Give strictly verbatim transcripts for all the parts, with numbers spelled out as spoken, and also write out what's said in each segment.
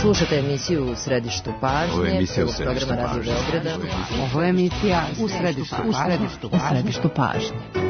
Slušate emisiju U središtu pažnje. Ovo je emisija U središtu pažnje. Ovo je emisija U središtu pažnje. U središtu pažnje.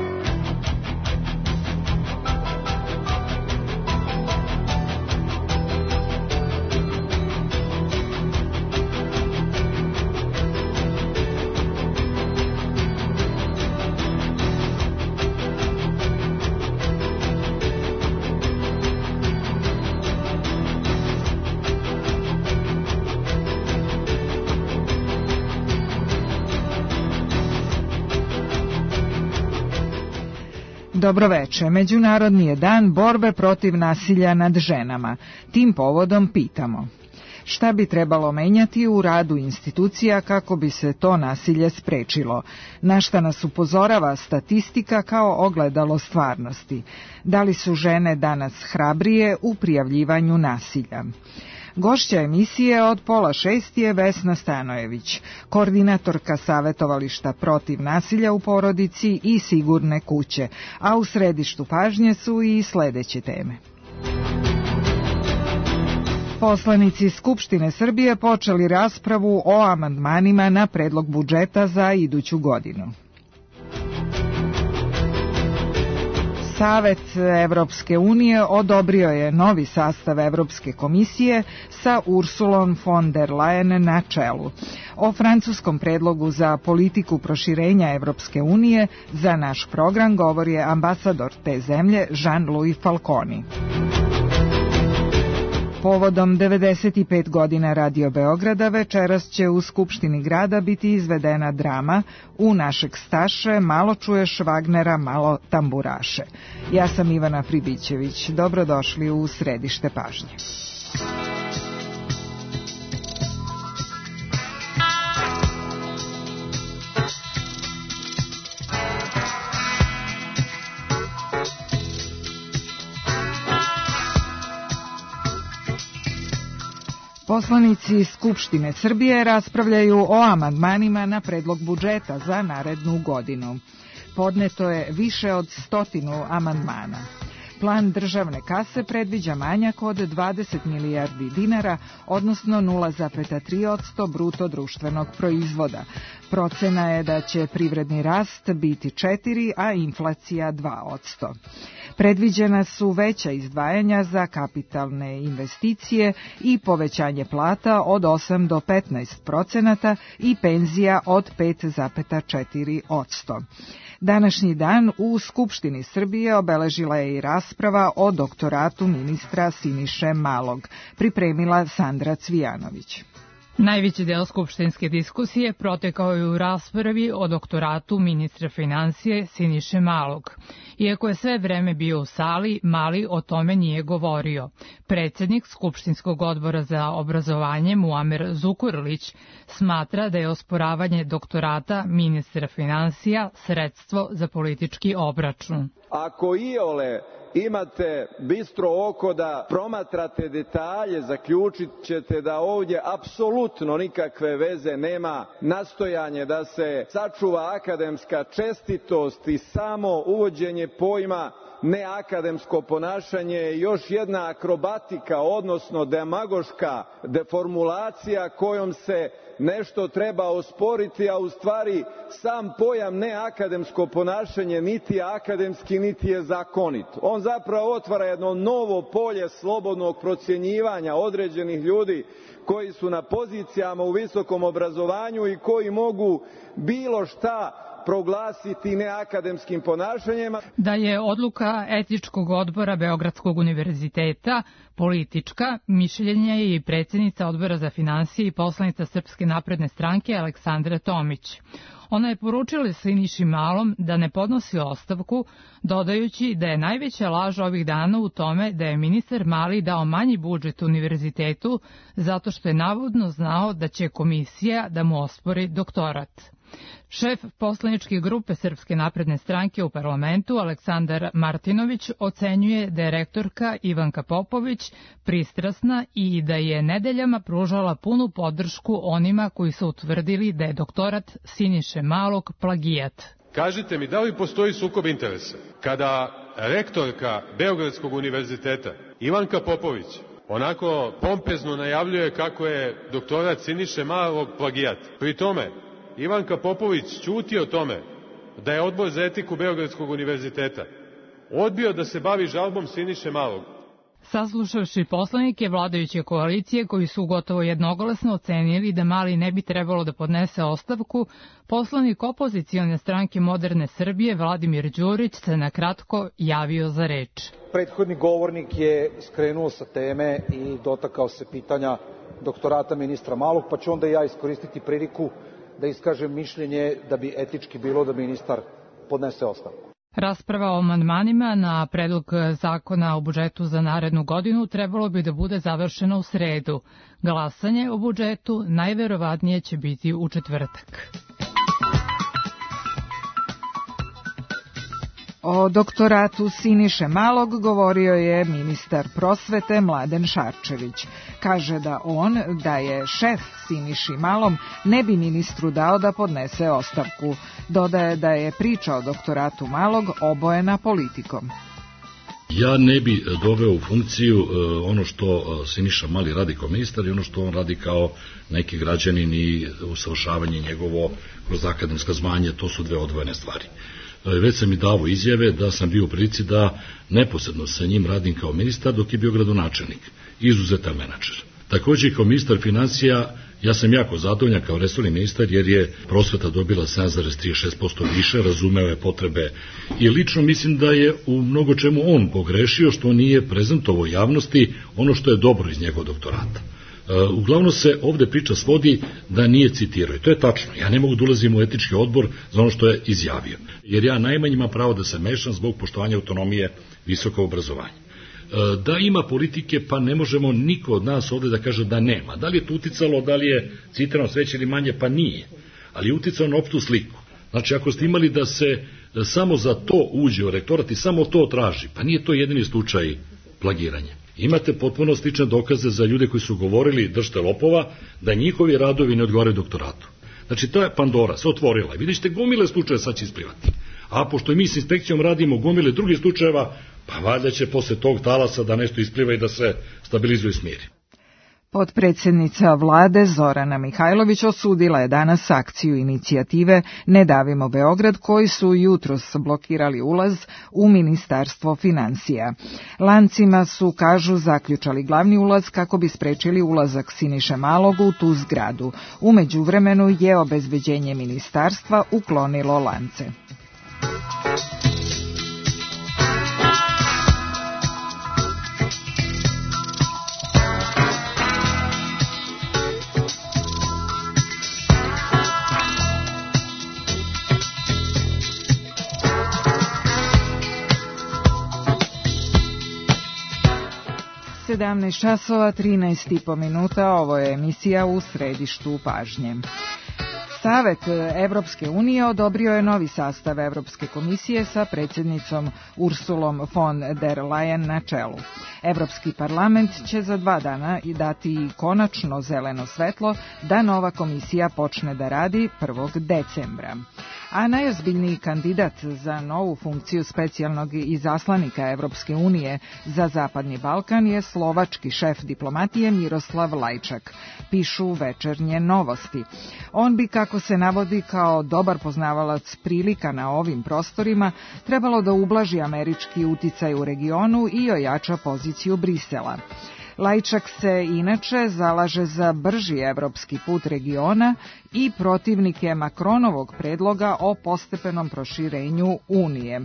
Dobroveče. Međunarodni je dan borbe protiv nasilja nad ženama. Tim povodom pitamo: šta bi trebalo menjati u radu institucija kako bi se to nasilje sprečilo? Na šta nas upozorava statistika kao ogledalo stvarnosti? Da li su žene danas hrabrije u prijavljivanju nasilja? Gošća emisije od pola šest je Vesna Stanojević, koordinatorka Savetovališta protiv nasilja u porodici i Sigurne kuće, a u središtu pažnje su i sledeće teme. Poslanici Skupštine Srbije počeli raspravu o amandmanima na predlog budžeta za iduću godinu. Savet Evropske unije odobrio je novi sastav Evropske komisije sa Ursulom von der Leyen na čelu. O francuskom predlogu za politiku proširenja Evropske unije za naš program govori ambasador te zemlje Jean-Louis Falconi. Povodom devedeset pet godina Radio Beograda večeras će u Skupštini grada biti izvedena drama U našeg Staše, malo čuješ Wagnera, malo tamburaše. Ja sam Ivana Pribićević. Dobrodošli u središte pažnje. Poslanici Skupštine Srbije raspravljaju o amandmanima na predlog budžeta za narednu godinu. Podneto je više od stotinu amandmana. Plan državne kase predviđa manjak od dvadeset milijardi dinara, odnosno nula zarez tri posto bruto društvenog proizvoda. Procena je da će privredni rast biti četiri, a inflacija dva posto. Predviđena su veća izdvajanja za kapitalne investicije i povećanje plata od osam do petnaest procenata i penzija od pet zarez četiri posto. Današnji dan u Skupštini Srbije obeležila je i rasprava o doktoratu ministra Siniše Malog, pripremila Sandra Cvijanović. Najveći deo skupštinske diskusije protekao je u raspravi o doktoratu ministra finansije Siniše Malog. Iako je sve vreme bio u sali, Mali o tome nije govorio. Predsjednik Skupštinskog odbora za obrazovanje Muamer Zukorlić smatra da je osporavanje doktorata ministra finansija sredstvo za politički obračun. Ako iole imate bistro oko da promatrate detalje, zaključit ćete da ovdje apsolutno nikakve veze nema nastojanje da se sačuva akademska čestitost i samo uvođenje pojma neakademsko ponašanje je još jedna akrobatika, odnosno demagoška deformulacija kojom se nešto treba osporiti, a u stvari sam pojam neakademsko ponašanje niti je akademski, niti je zakonit. On zapravo otvara jedno novo polje slobodnog procjenjivanja određenih ljudi koji su na pozicijama u visokom obrazovanju i koji mogu bilo šta proglasiti neakademskim ponašanjima. Da je odluka etičkog odbora Beogradskog univerziteta politička, mišljenje je i predsjednica odbora za finansije i poslanica Srpske napredne stranke Aleksandra Tomić. Ona je poručila Siniši Malom da ne podnosi ostavku, dodajući da je najveća laž ovih dana u tome da je ministar Mali dao manji budžet univerzitetu zato što je navodno znao da će komisija da mu ospori doktorat. Šef poslaničke grupe Srpske napredne stranke u parlamentu Aleksandar Martinović ocenjuje da je rektorka Ivanka Popović pristrasna i da je nedeljama pružala punu podršku onima koji su utvrdili da je doktorat Siniše Malog plagijat. Kažite mi, da li postoji sukob interesa kada rektorka Beogradskog univerziteta Ivanka Popović onako pompezno najavljuje kako je doktorat Siniše Malog plagijat. Pri tome, Ivanka Popović ćuti o tome da je Odbor za etiku Beogradskog univerziteta odbio da se bavi žalbom Siniše Malog. Saslušavši poslanike vladajuće koalicije koji su gotovo jednoglasno ocenili da Mali ne bi trebalo da podnese ostavku, poslanik opozicione stranke Moderne Srbije Vladimir Đurić se na kratko javio za reč. Prethodni govornik je skrenuo sa teme i dotakao se pitanja doktorata ministra Malog, pa ću onda ja iskoristiti priliku da iskažem mišljenje da bi etički bilo da ministar podnese ostavku. Rasprava o amandmanima na predlog zakona o budžetu za narednu godinu trebalo bi da bude završena u sredu. Glasanje o budžetu najverovatnije će biti u četvrtak. O doktoratu Siniše Malog govorio je ministar prosvete Mladen Šarčević. Kaže da on, da je šef Siniši Malom, ne bi ministru dao da podnese ostavku. Dodaje da je priča o doktoratu Malog obojena politikom. Ja ne bi doveo u funkciju ono što Siniša Mali radi kao ministar i ono što on radi kao neki građanin i usavršavanje njegovo kroz akademska zvanja, to su dve odvojene stvari. Već sam i davo izjave da sam bio u prilici da neposredno sa njim radim kao ministar dok je bio gradonačelnik, izuzetan menadžer. Takođe kao ministar financija ja sam jako zadovoljan kao resorni ministar jer je prosveta dobila sedam zarez trideset šest posto više, razumeo je potrebe i lično mislim da je u mnogo čemu on pogrešio što nije prezentovao javnosti ono što je dobro iz njegovog doktorata. Uglavnom se ovde priča svodi da nije citirao i to je tačno. Ja ne mogu da ulazim u etički odbor za ono što je izjavio, jer ja najmanje imam pravo da se mešam zbog poštovanja autonomije visokog obrazovanja. Da ima politike, pa ne možemo niko od nas ovde da kaže da nema. Da li je to uticalo, da li je citirano sveće ili manje, pa nije. Ali je uticalo na opštu sliku. Znači, ako ste imali da se samo za to uđe u rektorat i samo to traži, pa nije to jedini slučaj plagiranja. Imate potpuno slične dokaze za ljude koji su govorili držte lopova, da njihovi radovi ne odgovaraju doktoratu. Znači, ta Pandora se otvorila i vidite gomile slučaje sad će isplivati. A pošto i mi s inspekcijom radimo gomile drugih slučajeva, pa valjda će posle tog talasa da nešto ispliva i da se stabilizuje i smiri. Potpredsednica vlade Zorana Mihajlović osudila je danas akciju inicijative Ne davimo Beograd koji su jutros blokirali ulaz u Ministarstvo finansija. Lancima su, kažu, zaključali glavni ulaz kako bi sprečili ulazak Siniše Malog u tu zgradu. U međuvremenu je obezbeđenje ministarstva uklonilo lance. sedamnaest časova trinaest i po minuta, ovo je emisija U središtu pažnje. Savet Evropske unije odobrio je novi sastav Evropske komisije sa predsjednicom Ursulom von der Leyen na čelu. Evropski parlament će za dva dana i dati konačno zeleno svetlo da nova komisija počne da radi prvog decembra. A najozbiljniji kandidat za novu funkciju specijalnog izaslanika Evropske unije za Zapadni Balkan je slovački šef diplomatije Miroslav Lajčak, pišu Večernje novosti. On bi, kako se navodi, kao dobar poznavalac prilika na ovim prostorima, trebalo da ublaži američki uticaj u regionu i ojača poziciju Brisela. Lajčak se inače zalaže za brži evropski put regiona i protivnik je Makronovog predloga o postepenom proširenju Unije.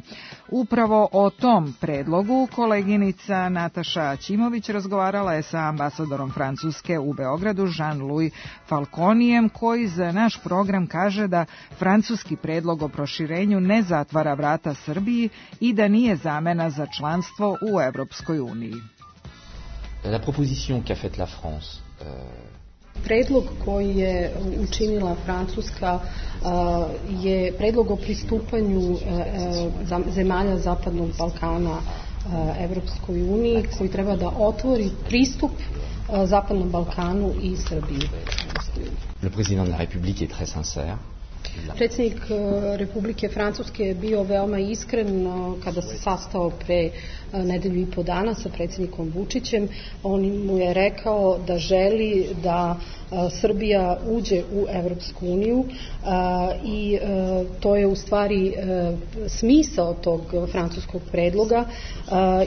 Upravo o tom predlogu koleginica Nataša Aćimović razgovarala je sa ambasadorom Francuske u Beogradu Jean-Louis Falconijem, koji za naš program kaže da francuski predlog o proširenju ne zatvara vrata Srbiji i da nije zamena za članstvo u Evropskoj uniji. La proposition qu'a faite la France. Euh... Predlog koji je učinila Francuska uh, je predlog o pristupanju uh, zemalja Zapadnog Balkana uh, Evropskoj uniji, koji treba da otvori pristup uh, Zapadnom Balkanu i Srbiji. Le président de la République est très sincère. Predsjednik Republike Francuske je bio veoma iskren kada se sastao pre nedelju i po dana sa predsjednikom Vučićem. On mu je rekao da želi da Srbija uđe u Evropsku uniju i to je u stvari smisao tog francuskog predloga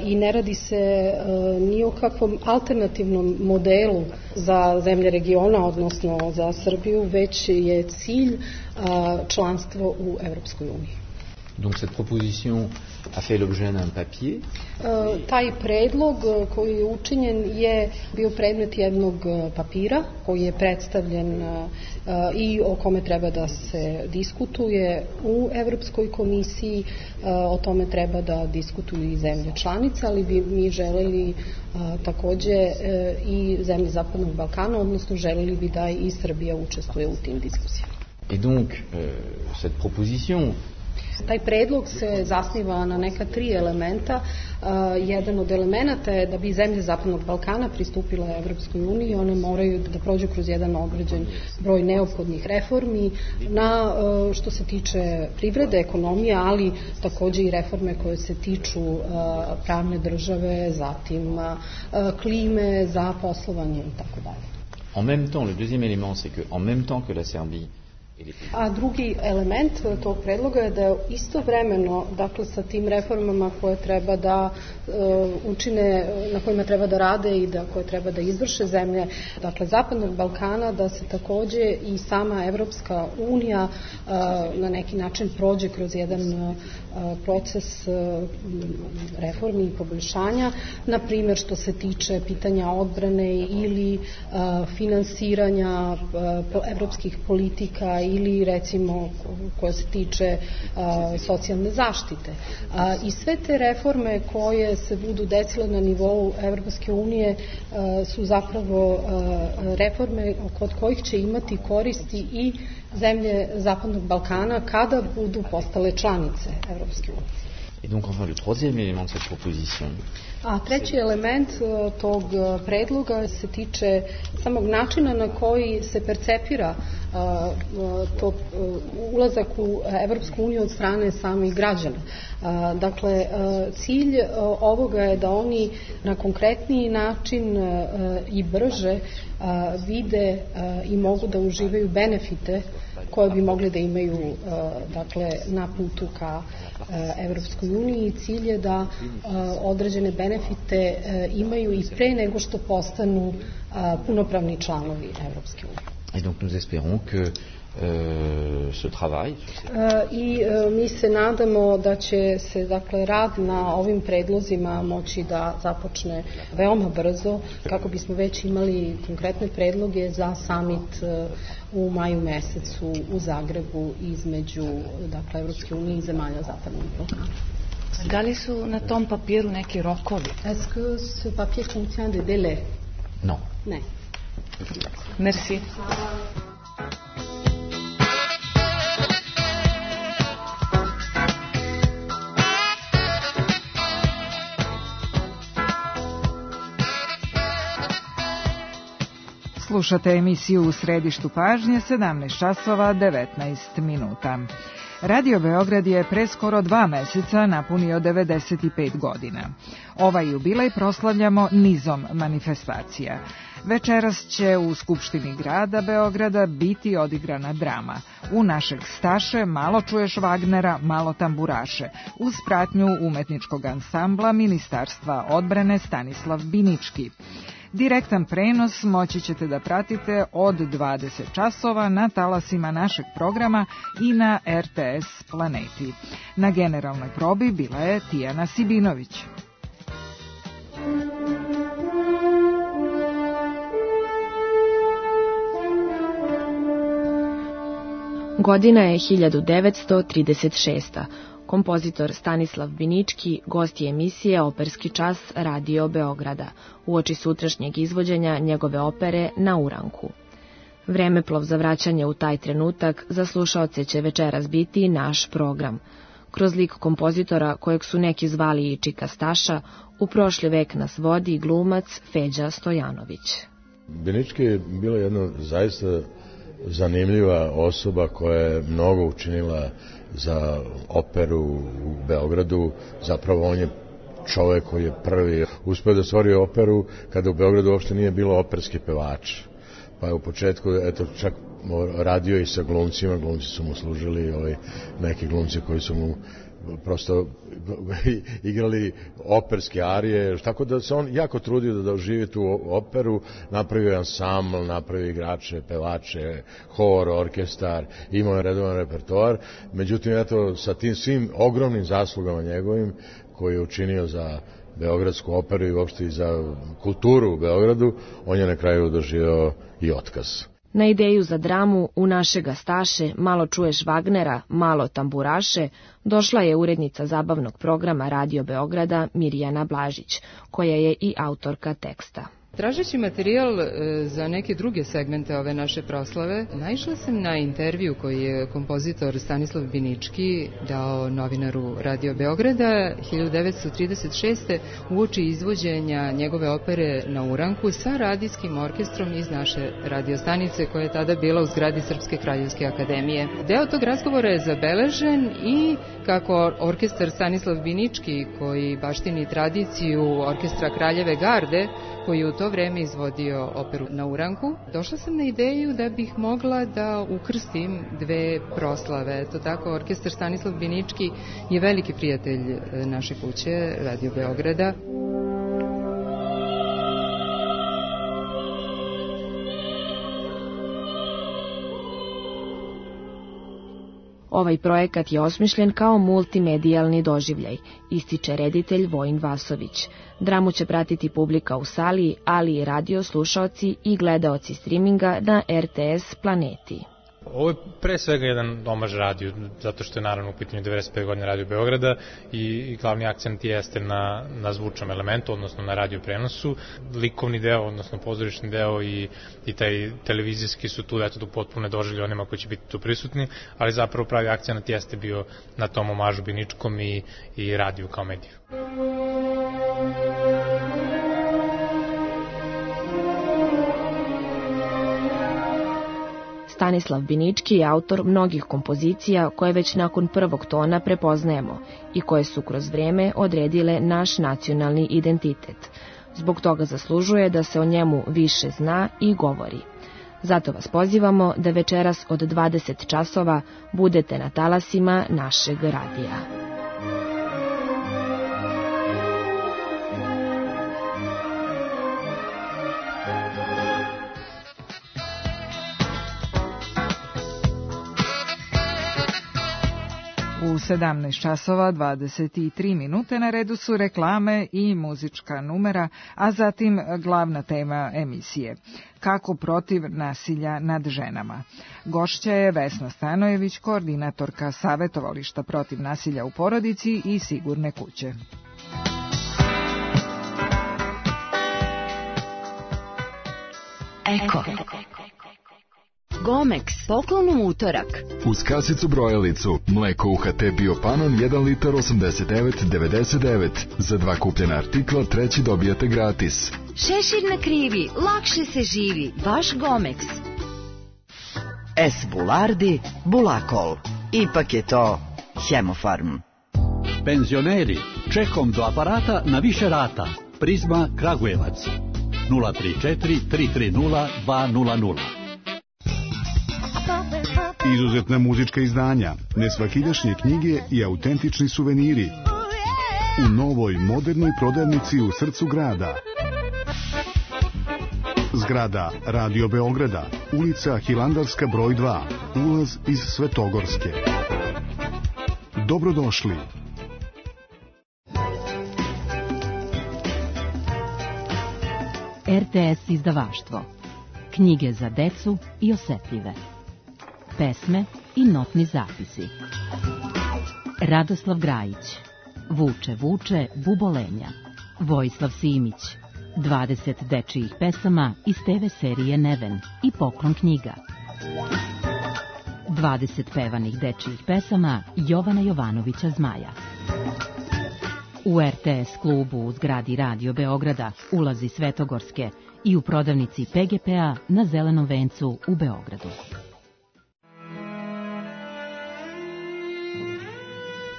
i ne radi se ni o kakvom alternativnom modelu za zemlje regiona, odnosno za Srbiju, već je cilj članstvo u Evropskoj uniji. Donc cette proposition a fait l'objet d'un papier. Taj predlog koji je učinjen je bio predmet jednog papira koji je predstavljen i o kome treba da se diskutuje u Evropskoj komisiji. O tome treba da diskutuju i zemlje članice, ali bi mi želeli takođe i zemlje Zapadnog Balkana, odnosno želeli bi da i Srbija učestvuje u tim diskusijama. Et donc euh, cette proposition Taj predlog se zasniva na neka tri elementa. Uh, jedan od elemenata je da bi zemlje Zapadnog Balkana pristupile Evropskoj uniji, one moraju da prođu kroz jedan određen broj neophodnih reformi na uh, što se tiče privrede, ekonomije, ali takođe i reforme koje se tiču uh, pravne države, zatim uh, klime, za poslovanje i tako dalje. En même temps, le deuxième élément, c'est que en même temps que la Serbie. A drugi element tog predloga je da istovremeno, dakle sa tim reformama koje treba da uh, učine, na kojima treba da rade i da koje treba da izvrše zemlje, dakle Zapadnog Balkana, da se takođe i sama Evropska unija uh, na neki način prođe kroz jedan uh, proces uh, reformi i poboljšanja, na primjer što se tiče pitanja odbrane ili uh, finansiranja uh, evropskih politika ili recimo koja se tiče a, socijalne zaštite. A, I sve te reforme koje se budu desile na nivou Evropske unije a, su zapravo a, reforme kod kojih će imati koristi i zemlje Zapadnog Balkana kada budu postale članice Evropske unije. Et donc enfin le troisième élément de cette proposition. A treći element tog predloga se tiče samog načina na koji se percepira to ulazak u Evropsku uniju od strane samih građana. Dakle, cilj ovoga je da oni na konkretniji način i brže vide i mogu da uživaju benefite koje bi mogli da imaju dakle, na putu ka Evropskoj uniji. Cilj je da određene benefite imaju i pre nego što postanu punopravni članovi Evropske unije. Et donc nous espérons que Euh, ce travail. I mi se nadamo da će se dakle rad na ovim predlozima moći da započne veoma brzo kako bismo već imali konkretne predloge za summit u maju mesecu u Zagrebu između dakle Evropske unije i zemalja Zapadnog Balkana. Da li su na tom papiru neki rokovi? Est-ce que ce papier contient des délais? Non. Ne. Merci. Slušate emisiju U središtu pažnje, sedamnaest časova devetnaest minuta. Radio Beograd je pre skoro dva meseca napunio devedeset pet godina. Ovaj jubilej proslavljamo nizom manifestacija. Večeras će u Skupštini grada Beograda biti odigrana drama. U našeg Staše malo čuješ Wagnera, malo tamburaše, uz pratnju umetničkog ansambla Ministarstva odbrane Stanislav Binički. Direktan prenos moći ćete da pratite od dvadeset časova na talasima našeg programa i na R T S Planeti. Na generalnoj probi bila je Tijana Sibinović. Godina je hiljadu devetsto trideset šesta. Kompozitor Stanislav Binički gost je emisije Operski čas Radio Beograda, uoči sutrašnjeg izvođenja njegove opere Na uranku. Vremeplov za vraćanje u taj trenutak za slušaoce će večeras biti naš program. Kroz lik kompozitora, kojeg su neki zvali i Čika Staša, u prošli vek nas vodi glumac Feđa Stojanović. Binički je bila jedna zaista zanimljiva osoba koja je mnogo učinila za operu u Beogradu. Zapravo on je čovek koji je prvi uspeo da stvori operu kada u Beogradu uopšte nije bilo operski pevač. Pa je u početku, eto, čak radio i sa glumcima, glumci su mu služili, ovaj, neki glumci koji su mu prosto igrali operske arije, tako da se on jako trudio da oživi tu operu, napravio ansambl, napravio igrače, pevače, hor, orkestar, imao je redovan repertoar, međutim, eto, sa tim svim ogromnim zaslugama njegovim, koji je učinio za Beogradsku operu i uopšte i za kulturu u Beogradu, on je na kraju doživio i otkaz. Na ideju za dramu U našega Staše, malo čuješ Wagnera, malo tamburaše, došla je urednica zabavnog programa Radio Beograda Mirjana Blažić, koja je i autorka teksta. Tražeći materijal za neke druge segmente ove naše proslave, naišla sam na intervju koji je kompozitor Stanislav Binički dao novinaru Radio Beograda hiljadu devetsto trideset šeste uoči izvođenja njegove opere Na uranku sa radijskim orkestrom iz naše radiostanice koja je tada bila u zgradi Srpske kraljevske akademije. Deo tog razgovora je zabeležen i kako orkestar Stanislav Binički, koji baštini tradiciju orkestra Kraljeve garde, koji je u to vreme izvodio operu Na uranku, došla sam na ideju da bih mogla da ukrstim dve proslave. Eto tako, orkestar Stanislav Binički je veliki prijatelj naše kuće, Radio Beograda. Ovaj projekat je osmišljen kao multimedijalni doživljaj, ističe reditelj Vojin Vasović. Dramu će pratiti publika u sali, ali i radio slušaoci i gledaoci streaminga na R T S Planeti. Ovo je pre svega jedan omaž radiju, zato što je naravno u pitanju devedeset pete godine Radio Beograda i, i glavni akcent jeste na, na zvučnom elementu, odnosno na radio prenosu. Likovni deo, odnosno pozorišni deo i, i taj televizijski su tu, eto, tu potpuno doživlje onima koji će biti tu prisutni, ali zapravo pravi akcent jeste bio na tom omažu Biničkom i, i radiju kao mediju. Stanislav Binički je autor mnogih kompozicija koje već nakon prvog tona prepoznajemo i koje su kroz vreme odredile naš nacionalni identitet. Zbog toga zaslužuje da se o njemu više zna i govori. Zato vas pozivamo da večeras od dvadeset časova budete na talasima našeg radija. U sedamnaest časova dvadeset tri minute na redu su reklame i muzička numera, a zatim glavna tema emisije. Kako protiv nasilja nad ženama. Gošća je Vesna Stanojević, koordinatorka Savetovališta protiv nasilja u porodici i Sigurne kuće. Eko. Gomex, poklon u utorak. Uz kasicu brojalicu, mleko U H T Biopanon jedan litar osamdeset devet devedeset devet. Za dva kupljena artikla treći dobijate gratis. Šešir na krivi, lakše se živi. Vaš Gomex. S. Bulardi, Bulakol. Ipak je to Hemofarm. Penzioneri, čekom do aparata na više rata. Prizma Kragujevac. nula tri četiri tri tri nula dva nula nula. Izuzetna muzička izdanja, nesvakidašnje knjige i autentični suveniri u novoj modernoj prodavnici u srcu grada. Zgrada Radio Beograda, ulica Hilandarska broj dva, ulaz iz Svetogorske. Dobrodošli. R T S izdavaštvo. Knjige za decu i osetljive. Pesme i notni zapisi. Radoslav Grajić. Vuče, vuče, bubolenja. Vojislav Simić. dvadeset dečijih pesama iz te ve serije Neven i Poklon knjiga. dvadeset pevanih dečijih pesama Jovana Jovanovića Zmaja. U R T S klubu u zgradi Radio Beograda, ulazi Svetogorske i u prodavnici P G P-a na Zelenom vencu u Beogradu.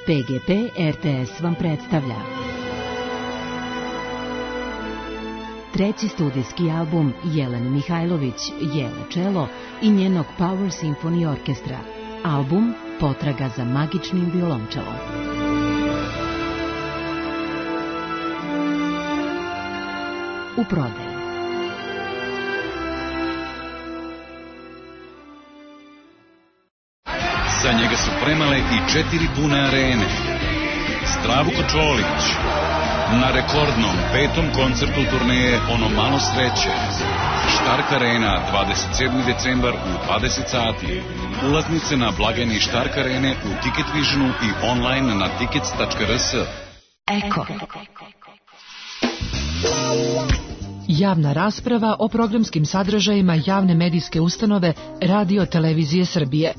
P G P R T S vam predstavlja treći studijski album Jelene Mihajlović, Jele Čelo i njenog Power Symphony Orkestra. Album Potraga za magičnim violončelom. U prodaju. Za njega su premale i četiri pune arene. Zdravko Čolić na rekordnom petom koncertu turneje Ono malo sreće. Štark Arena, dvadeset sedmi decembar u dvadeset sati. Ulaznice na blagajni Štark Arene u Ticket Visionu i online na tickets tačka r s. Eko. Javna rasprava o programskim sadržajima javne medijske ustanove Radio Televizije Srbije.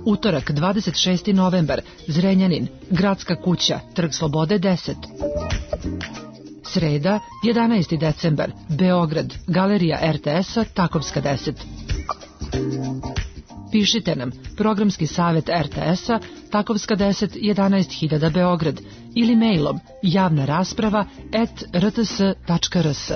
Utorak, dvadeset šesti novembar, Zrenjanin, Gradska kuća, Trg Slobode deset. Sreda, jedanaesti decembar, Beograd, Galerija R T S-a, Takovska deset. Pišite nam, programski savjet R T S-a, Takovska deset, jedanaest hiljada Beograd, ili mailom javna rasprava at r t s tačka r s.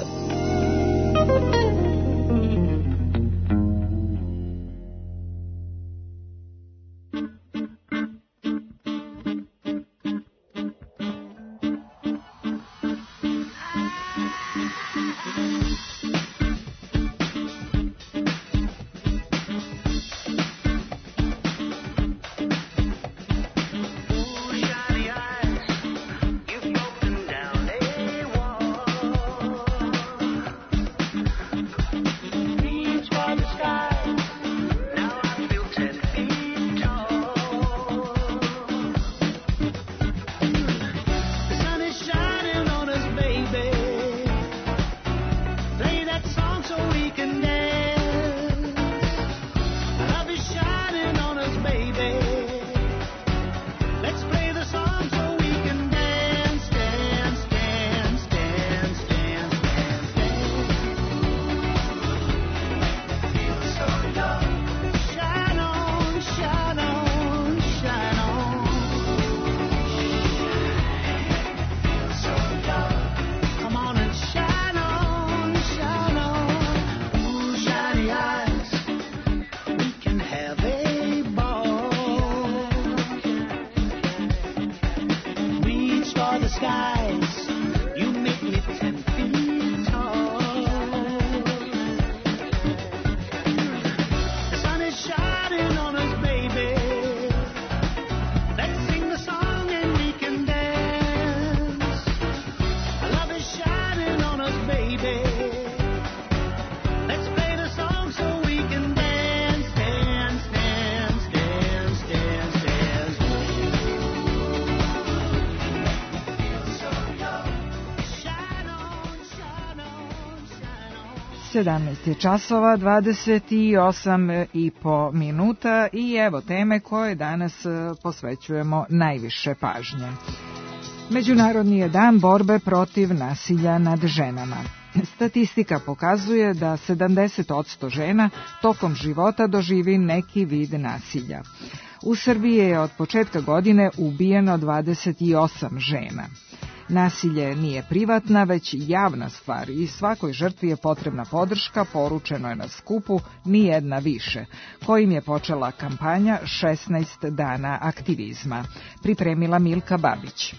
sedamnaest je časova, dvadeset osam i po minuta i evo teme koje danas posvećujemo najviše pažnje. Međunarodni je dan borbe protiv nasilja nad ženama. Statistika pokazuje da sedamdeset posto žena tokom života doživi neki vid nasilja. U Srbiji je od početka godine ubijeno dvadeset osam žena. Nasilje nije privatna, već javna stvar i svakoj žrtvi je potrebna podrška, poručeno je na skupu Ni jedna više, kojim je počela kampanja šesnaest dana aktivizma. Pripremila Milka Babić.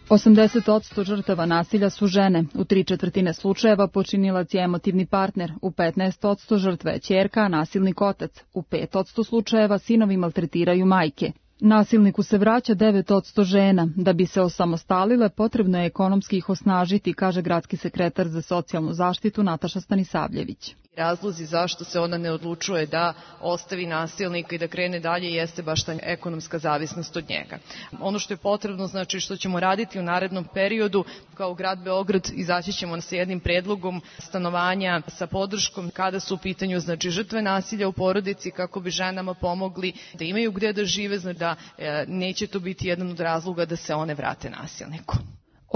osamdeset posto žrtava nasilja su žene, u tri četvrtine slučajeva počinilac je emotivni partner, u petnaest posto žrtva je ćerka, a nasilnik otac, u pet posto slučajeva sinovi maltretiraju majke. Nasilniku se vraća devet posto žena. Da bi se osamostalile, potrebno je ekonomski ih osnažiti, kaže gradski sekretar za socijalnu zaštitu Nataša Stanisavljević. Razlozi zašto se ona ne odlučuje da ostavi nasilnika i da krene dalje jeste baš ta ekonomska zavisnost od njega. Ono što je potrebno, znači što ćemo raditi u narednom periodu, kao grad Beograd izaći ćemo sa jednim predlogom stanovanja sa podrškom kada su u pitanju znači žrtve nasilja u porodici, kako bi ženama pomogli da imaju gde da žive, znači da e, neće to biti jedan od razloga da se one vrate nasilniku.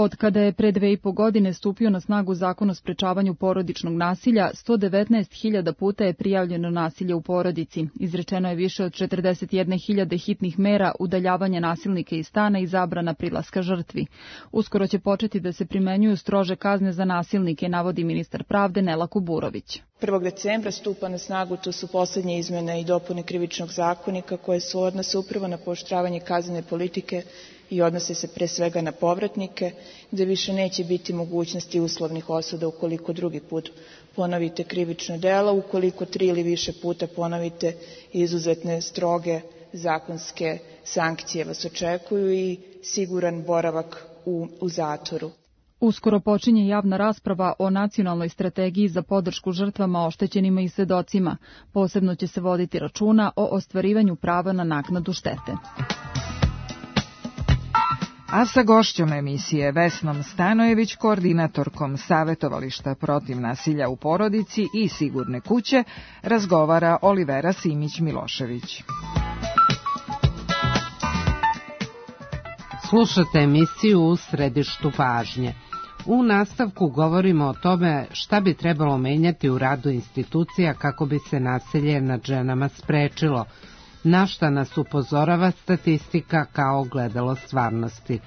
Od kada je pre dve i po godine stupio na snagu Zakon o sprečavanju porodičnog nasilja, sto devetnaest hiljada puta je prijavljeno nasilje u porodici. Izrečeno je više od četrdeset jedne hiljade hitnih mera udaljavanja nasilnika iz stana i zabrana prilaska žrtvi. Uskoro će početi da se primenjuju strože kazne za nasilnike, navodi ministar pravde Nela Kuburović. prvog decembra stupa na snagu, to su poslednje izmene i dopune Krivičnog zakonika koje su odnose upravo na pooštravanje kaznene politike i odnose se pre svega na povratnike, gde više neće biti mogućnosti uslovnih osuda ukoliko drugi put ponovite krivično delo, ukoliko tri ili više puta ponovite izuzetne stroge zakonske sankcije vas očekuju i siguran boravak u, u zatvoru. Uskoro počinje javna rasprava o nacionalnoj strategiji za podršku žrtvama, oštećenima i svedocima. Posebno će se voditi računa o ostvarivanju prava na naknadu štete. A sa gošćom emisije Vesnom Stanojević, koordinatorkom Savetovališta protiv nasilja u porodici i Sigurne kuće, razgovara Olivera Simić-Milošević. Slušate emisiju U središtu pažnje. U nastavku govorimo o tome šta bi trebalo menjati u radu institucija kako bi se nasilje nad ženama sprečilo, na šta nas upozorava statistika kao ogledalo stvarnosti.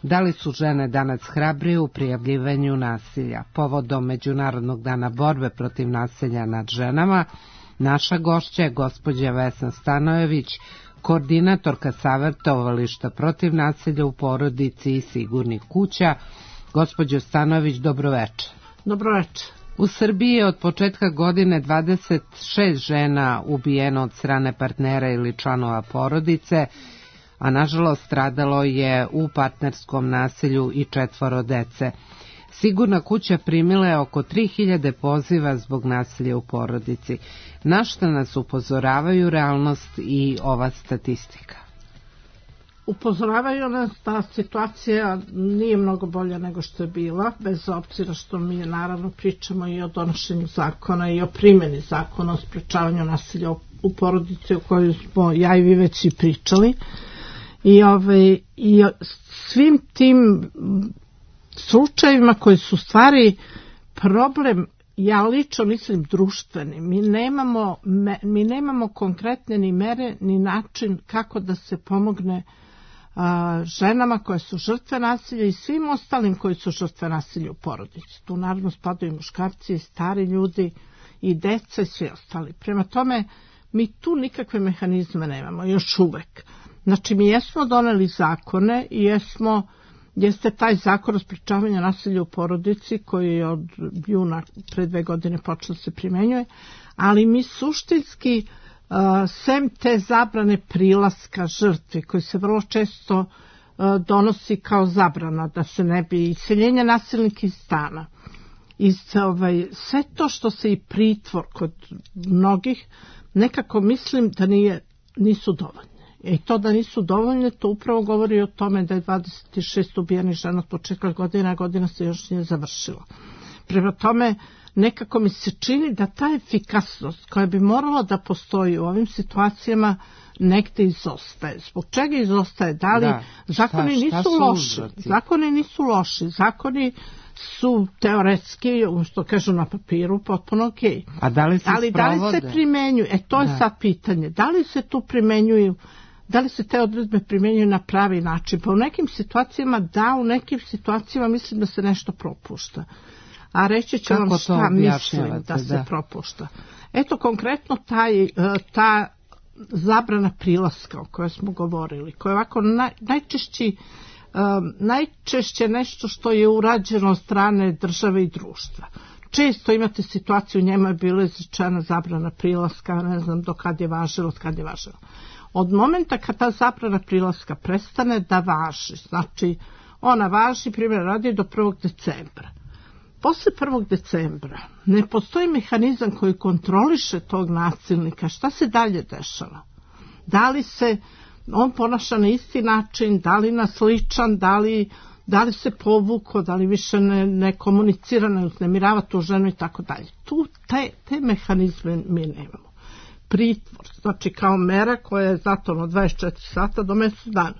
Da li su žene danas hrabrije u prijavljivanju nasilja? Povodom Međunarodnog dana borbe protiv nasilja nad ženama, naša gošća je gospođa Vesna Stanojević, koordinatorka Savetovališta protiv nasilja u porodici i Sigurnih kuća. Gospođo Stanojević, dobroveče. Dobroveče. U Srbiji je od početka godine dvadeset šest žena ubijeno od strane partnera ili članova porodice, a nažalost stradalo je u partnerskom nasilju i četvoro dece. Sigurna kuća primila je oko tri hiljade poziva zbog nasilja u porodici. Na šta nas upozoravaju realnost i ova statistika? Upozoravaju nas da situacija nije mnogo bolja nego što je bila, bez obzira što mi naravno pričamo i o donošenju zakona i o primjeni zakona o sprečavanju nasilja u porodici o kojoj smo ja i vi već i pričali. I, ove, i svim tim slučajevima koji su stvari problem, ja lično mislim društveni. Mi nemamo, mi nemamo konkretne ni mere ni način kako da se pomogne a, ženama koje su žrtve nasilja i svim ostalim koji su žrtve nasilja u porodici. Tu naravno spadaju i muškarci, i stari ljudi, i deca i svi ostali. Prema tome, mi tu nikakve mehanizme nemamo, još uvek. Znači, mi jesmo doneli zakone i jesmo, jeste taj zakon o sprečavanju nasilja u porodici koji je od juna pre dve godine počeo se primenjuje, ali mi suštinski, uh, sem te zabrane prilaska žrtvi, koji se vrlo često uh, donosi kao zabrana, da se ne bi iseljenje nasilnika iz stana, i ovaj, sve to što se i pritvor kod mnogih, nekako mislim da nije, nisu dovoljne. I to da nisu dovoljne, to upravo govori o tome da je dvadeset šest ubijenih žena od početka godina, a godina se još nije završila. Prema tome, nekako mi se čini da ta efikasnost koja bi morala da postoji u ovim situacijama negde izostaje. Zbog čega izostaje? Da li da, zakoni šta, šta nisu loši? Uzrati? Zakoni nisu loši. Zakoni su teoretski, što kažu na papiru, potpuno okej. Okay. A da li se Ali da li se primenjuju? E, to je da. sad pitanje. Da li se tu primenjuju, da li se te odredbe primenjuju na pravi način? Pa u nekim situacijama da, u nekim situacijama mislim da se nešto propušta. A reći ću vam šta mislim da se da. propušta. Eto, konkretno taj, ta zabrana prilaska o kojoj smo govorili, koja je ovako naj, najčešći Um, najčešće nešto što je urađeno od strane države i društva. Često imate situaciju, u njemu je bila izrečena zabrana prilaska, ne znam do kad je važilo, od kad je važilo. Od momenta kad ta zabrana prilaska prestane da važi, znači ona važi, primjer radi, do prvog decembra. Posle prvog decembra ne postoji mehanizam koji kontroliše tog nasilnika. Šta se dalje dešava? Da li se on ponaša na isti način, da li na sličan, da li, da li se povuko, da li više ne, ne komunicira, ne uznemirava tu ženu i tako dalje. Tu te, te mehanizme mi nemamo. Pritvor, znači kao mera koja je zatvorena od dvadeset četiri sata do mjesec dana.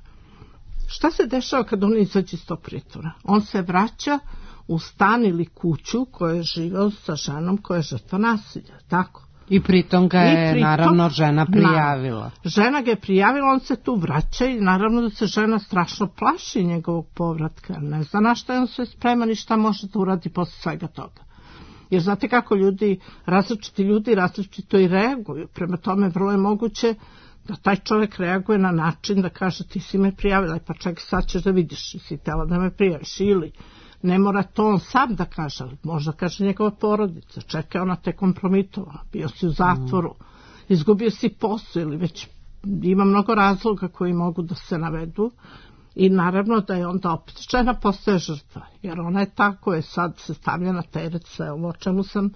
Šta se dešava kad on izađe iz tog pritvora? On se vraća u stan ili kuću koja je živeo sa ženom koja je žrtva nasilja, tako? I pritom ga je pritom, naravno žena prijavila. Na, žena ga je prijavila, on se tu vraća i naravno da se žena strašno plaši njegovog povratka. Ne zna na šta je on sve spreman i šta može da uradi posle svega toga. Jer znate kako ljudi, različiti ljudi različito i reaguju. Prema tome vrlo je moguće da taj čovjek reaguje na način da kaže ti si me prijavila, pa čekaj sad ćeš da vidiš, si tela da me prijaviš, ili ne mora to on sam da kaže, možda kaže njegova porodica, čekaj, ona te kompromitovala, bio si u zatvoru, izgubio si posao ili već ima mnogo razloga koji mogu da se navedu i naravno da je onda opet žena postaje žrtva, jer ona je ta koja je sad se stavlja na teret sve ovo o čemu sam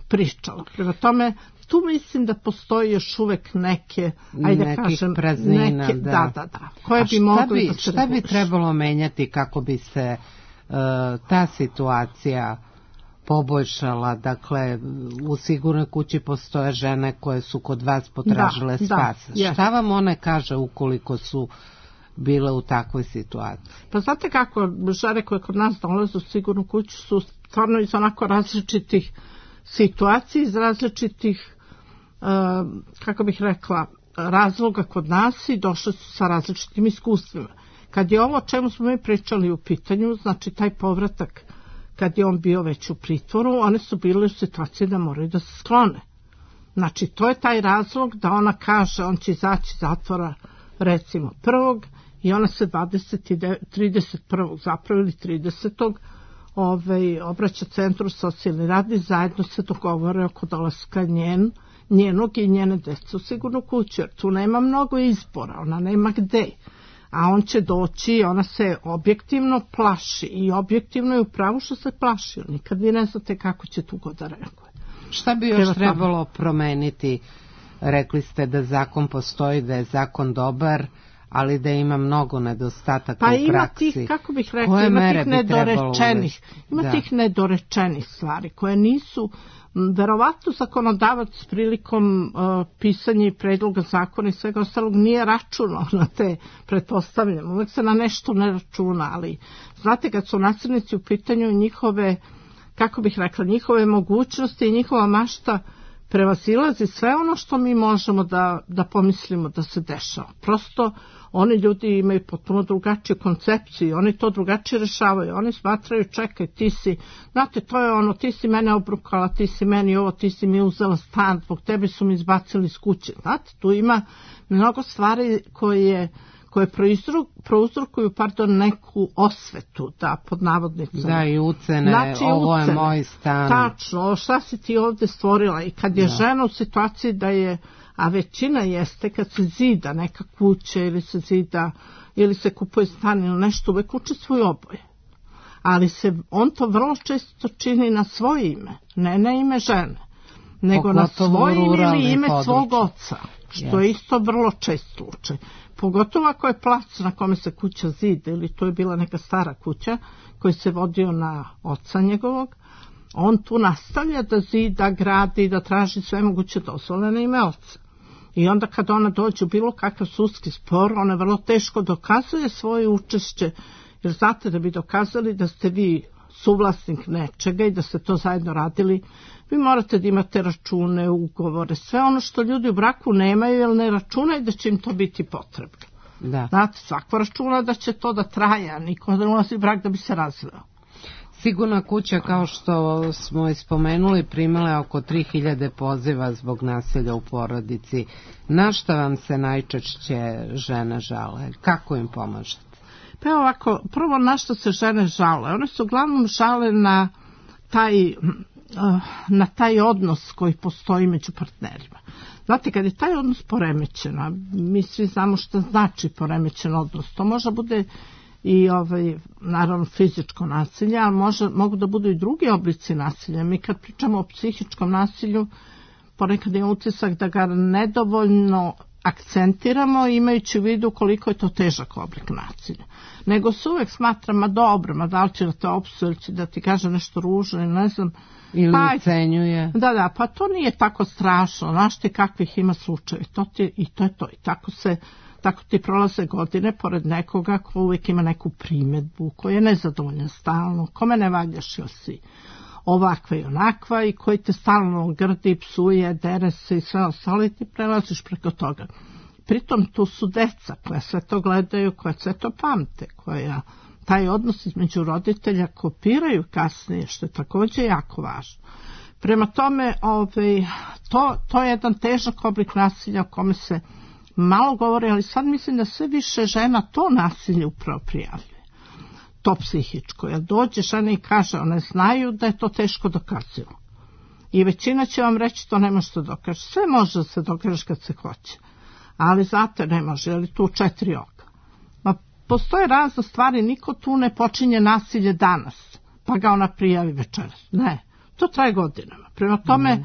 pričala. Prema tome, tu mislim da postoji još uvek neke, ajde da kažem, praznina, neke, da. da, da, da, koje bi mogli da se šta bi trebalo menjati kako bi se uh, ta situacija poboljšala? Dakle, u Sigurnoj kući postoje žene koje su kod vas potražile da, spas. Da, šta vam one kaže ukoliko su bile u takvoj situaciji? Pa znate kako, žene koje kod nas dolaze u Sigurnu kuću su stvarno iz onako različitih situacija, iz različitih uh, kako bih rekla razloga kod nas i došle su sa različitim iskustvima. Kad je ovo o čemu smo mi pričali u pitanju, znači taj povratak kad je on bio već u pritvoru, one su bile u situaciji da moraju da se sklone. Znači to je taj razlog da ona kaže on će izaći iz zatvora recimo prvog i ona se dvadeset trideset prvog zapravo ili tridesetog Ovaj, obraća centru socijalni rad i zajedno se dogovore oko dolaska njen, njenog i njene dece u Sigurnu kuću, jer tu nema mnogo izbora, ona nema gde. A on će doći i ona se objektivno plaši i objektivno je u pravu što se plaši, nikad vi ne znate kako će tu god da reaguje. Šta bi još trebalo promeniti? Rekli ste da zakon postoji, da je zakon dobar, ali da ima mnogo nedostataka pa u praksi. Pa ima tih, kako bih rekla, ima tih nedorečenih, ima da. tih nedorečenih stvari koje nisu, verovatno zakonodavac prilikom uh, pisanja i predloga zakona i svega ostalog nije računao na te, pretpostavljam, uvek se na nešto ne računa, ali znate kad su nasilnici u pitanju njihove, kako bih rekla, njihove mogućnosti i njihova mašta prevazilazi sve ono što mi možemo da, da pomislimo da se dešava. Prosto oni ljudi imaju potpuno drugačiju koncepciju, oni to drugačije rešavaju, oni smatraju čekaj ti si, znate to je ono ti si mene obrukala, ti si meni ovo, ti si mi uzela stan, zbog tebe su mi izbacili iz kuće, znate tu ima mnogo stvari koje koje prouzrokuju pardon, neku osvetu, da, pod navodnicama. Da, i ucene, znači, ovo ucene. Je moj stan. Tačno, šta si ti ovde stvorila i kad je da. žena u situaciji da je, a većina jeste kad se zida neka kuća ili se zida, ili se kupuje stan ili nešto, uvek učestvuju oboje. Ali se, on to vrlo često čini na svoje ime, ne na ime žene, nego Pogotovo na svoje ime ili ime područje. Svog oca, što yes. je isto vrlo čest slučaj. Pogotovo ako je plac na kome se kuća zida ili to je bila neka stara kuća koji se vodio na oca njegovog, on tu nastavlja da zida, gradi, da traži sve moguće dozvole na ime oca. I onda kad ona dođe u bilo kakav sudski spor, ona vrlo teško dokazuje svoje učešće, jer znate da bi dokazali da ste vi suvlasnik nečega i da ste to zajedno radili, vi morate da imate račune, ugovore, sve ono što ljudi u braku nemaju, jer ne računaju da će im to biti potrebno. Da. Znate, svako računa da će to da traje, a niko da ulazi brak da bi se razveo. Sigurna kuća, kao što smo ispomenuli, primala je oko tri hiljade poziva zbog nasilja u porodici. Na šta vam se najčešće žene žale? Kako im pomažete? Pa ovako, prvo na što se žene žale? One se uglavnom žale na taj, na taj odnos koji postoji među partnerima. Znate, kad je taj odnos poremećen, mi svi znamo što znači poremećen odnos, to može bude i ovaj, naravno fizičko nasilje, ali može, mogu da budu i drugi oblici nasilja. Mi kad pričamo o psihičkom nasilju, ponekad je utisak da ga nedovoljno akcentiramo imajući u vidu koliko je to težak oblik nasilja. Nego se uvek smatra, ma dobro, ma da li će da te opsuje ili će da ti kaže nešto ružno ili ne znam. Ili pa, ucenjuje. Da, da, pa to nije tako strašno, znaš ti kakvih ima slučaje, to ti, i to je to. I tako se, tako ti prolaze godine pored nekoga ko uvijek ima neku primjedbu, koji je nezadovoljan stalno, kome ne valjaš ili si ovakva i onakva i koji te stalno grdi, psuje, dere se i sve ostalo i ti prelaziš preko toga. Pritom tu su deca koja sve to gledaju, koja sve to pamte, koja taj odnos između roditelja kopiraju kasnije, što je također jako važno. Prema tome, ovaj, to, to je jedan težak oblik nasilja o kome se malo govori, ali sad mislim da sve više žena to nasilje upravo prijavljuje. To psihičko. Jer dođe žena i kaže, one znaju da je to teško dokazivo. I većina će vam reći to ne može se dokaže. Sve može da se dokaže kad se hoće. Ali zato ne može, jer tu četiri oka. Ma postoje razne stvari, niko tu ne počinje nasilje danas, pa ga ona prijavi večeras. Ne, to traje godinama. Prema tome, mm.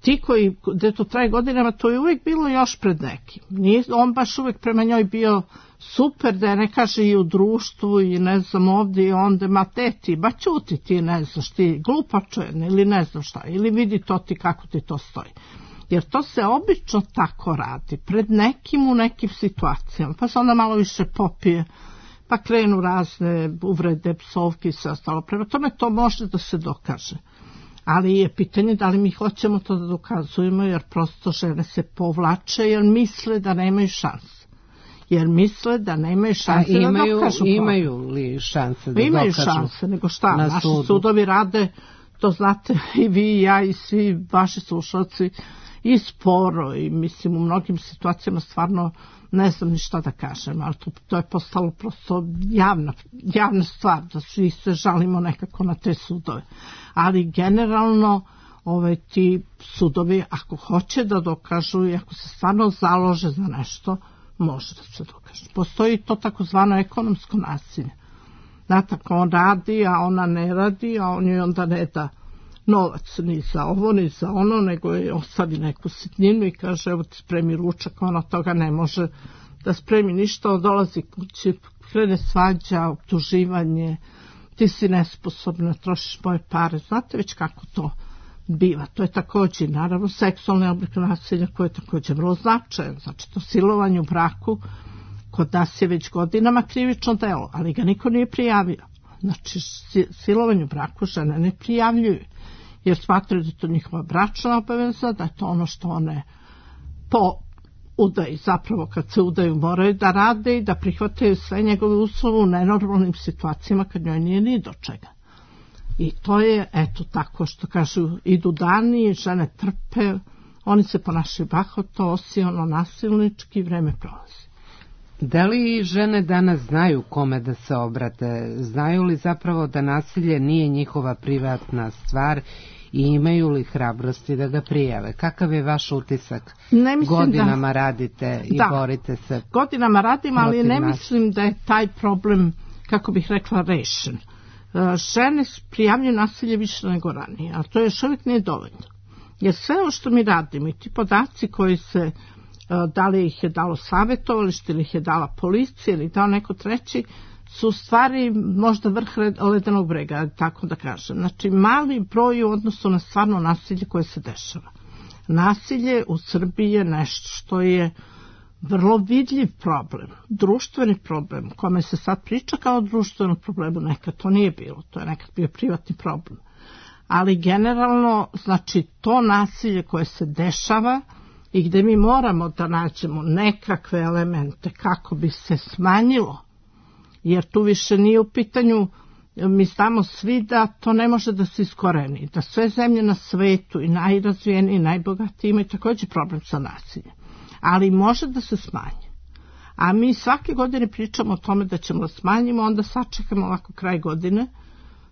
ti koji, gde to traje godinama, to je uvijek bilo još pred nekim. Nije on baš uvijek prema njoj bio super, da je ne kaže i u društvu i ne znam ovdje i onda, ma te ti, ba ćuti ti, ne znaš ti, glupačen ili ne znam šta, ili vidi to ti kako ti to stoji. Jer to se obično tako radi, pred nekim u nekim situacijama, pa se onda malo više popije, pa krenu razne uvrede, psovke i sve ostalo. Prema tome to može da se dokaže. Ali je pitanje da li mi hoćemo to da dokazujemo, jer prosto žene se povlače, jer misle da nemaju šanse. Jer misle da nemaju šanse imaju, da dokažu. Imaju li šanse da imaju dokažu? Imaju šanse, nego šta, na naši sudu. Sudovi rade, to znate i vi i ja i svi vaši slušalci, i sporo i mislim u mnogim situacijama stvarno ne znam ni šta da kažem, ali to, to je postalo prosto javna, javna stvar, da svi se žalimo nekako na te sudove. Ali generalno ove, ti sudovi ako hoće da dokažu i ako se stvarno založe za nešto, može da se dokaže. Postoji to takozvano ekonomsko nasilje. Znate, ako on radi, a ona ne radi, a on joj onda ne da novac ni za ovo, ni za ono, nego je ostavi neku sitninu i kaže, evo ti spremi ručak, ona toga ne može da spremi ništa, on dolazi kući, krene svađa, optuživanje, ti si nesposobna, trošiš moje pare, znate već kako to biva. To je također, naravno, seksualni oblik nasilja koji je također vrlo značajan, znači to silovanje u braku, kod nas je već godinama krivično delo, ali ga niko nije prijavio. Znači, silovanje u braku žene ne prijavljuju, jer smatraju da je to njihova bračna obaveza, da je to ono što one po udaji, zapravo kad se udaju moraju da rade i da prihvataju sve njegove uslove u nenormalnim situacijama kad njoj nije ni do čega. I to je, eto tako što kažu, idu dani, žene trpe, oni se ponašaju bahato, osiono, nasilnički, vreme prolazi. Da li žene danas znaju kome da se obrate? Znaju li zapravo da nasilje nije njihova privatna stvar i imaju li hrabrosti da ga prijave? Kakav je vaš utisak? Godinama da, radite i da, borite se. Godinama radim, ali ne mislim da je taj problem, kako bih rekla, rešen. Žene prijavljuju nasilje više nego ranije, a to još uvijek nije dovoljno. Jer sve ovo što mi radimo i ti podaci koji se, da li ih je dalo savjetovalište ili ih je dala policija ili dao neko treći, su stvari možda vrh ledenog brega, tako da kažem. Znači mali broj u odnosu na stvarno nasilje koje se dešava. Nasilje u Srbiji je nešto što je vrlo vidljiv problem, društveni problem, o kome se sad priča kao društvenom problemu, nekad to nije bilo, to je nekad bio privatni problem. Ali generalno, znači to nasilje koje se dešava i gde mi moramo da nađemo nekakve elemente kako bi se smanjilo, jer tu više nije u pitanju, mi znamo svi da to ne može da se iskoreni, da sve zemlje na svetu i najrazvijeniji i najbogatiji imaju također problem sa nasiljem, ali može da se smanji. A mi svake godine pričamo o tome da ćemo da smanjimo, onda sačekamo ovako kraj godine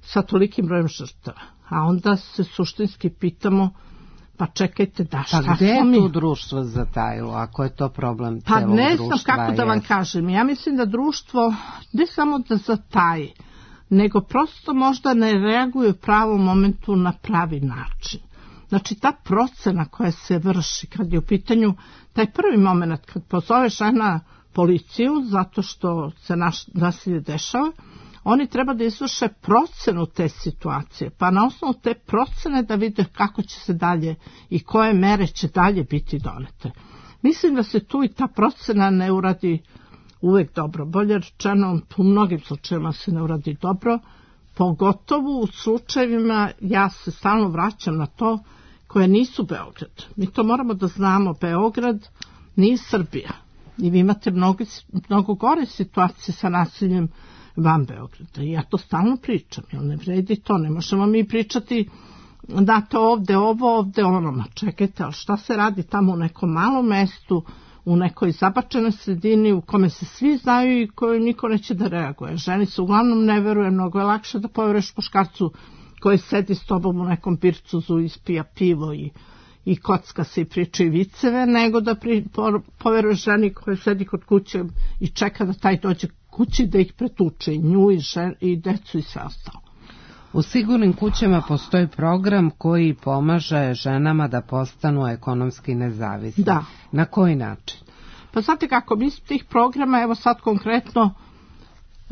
sa tolikim brojem žrtava. A onda se suštinski pitamo, pa čekajte da šta smo mi... Pa gde je tu društvo zatajilo, ako je to problem pa celog društva? Pa ne znam kako da vam je. kažem. Ja mislim da društvo ne samo da zataji, nego prosto možda ne reaguje u pravom momentu na pravi način. Znači ta procena koja se vrši kad je u pitanju taj prvi moment kad pozove žena policiju zato što se naš nasilje dešava, oni treba da izvrše procenu te situacije, pa na osnovu te procene da vide kako će se dalje i koje mere će dalje biti donete. Mislim da se tu i ta procena ne uradi uvek dobro. Bolje rečeno, u mnogim slučajevima se ne uradi dobro, pogotovo u slučajevima, ja se stalno vraćam na to, koje nisu Beograd. Mi to moramo da znamo, Beograd nije Srbija. I vi imate mnogo, mnogo gore situacije sa nasiljem van Beograda. I ja to stalno pričam, jer ne vredi to. Ne možemo mi pričati da to ovde ovo, ovde ono. Ma čekajte, ali šta se radi tamo u nekom malom mestu, u nekoj zabačenoj sredini u kome se svi znaju i koju niko neće da reaguje. Ženi se uglavnom ne veruje, mnogo je lakše da poveruješ muškarcu koji sedi s tobom u nekom pircuzu, ispija pivo i, i kocka se i priča i viceve, nego da pri, po, poveruješ ženi koja sedi kod kuće i čeka da taj dođe kući da ih pretuče, i nju i, žen, i decu i sve ostalo. U sigurnim kućama postoji program koji pomaže ženama da postanu ekonomski nezavisne. Da. Na koji način? Pa znate kako, mi smo tih programa, evo sad konkretno,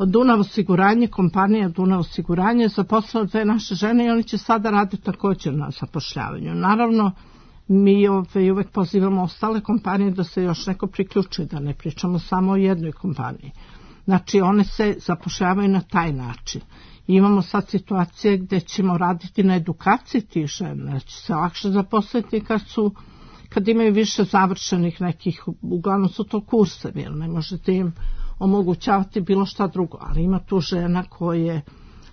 Dunav osiguranje, kompanija Dunav osiguranje zaposlila dve naše žene i oni će sada raditi također na zapošljavanju. Naravno, mi ove, uvek pozivamo ostale kompanije da se još neko priključi, da ne pričamo samo o jednoj kompaniji. Znači, one se zapošljavaju na taj način. I imamo sad situacije gde ćemo raditi na edukaciji tih žena, da će se lakše zaposliti kad su, kad imaju više završenih nekih, uglavnom su to kursevi, jer ne možete im omogućavati bilo šta drugo, ali ima tu žena koje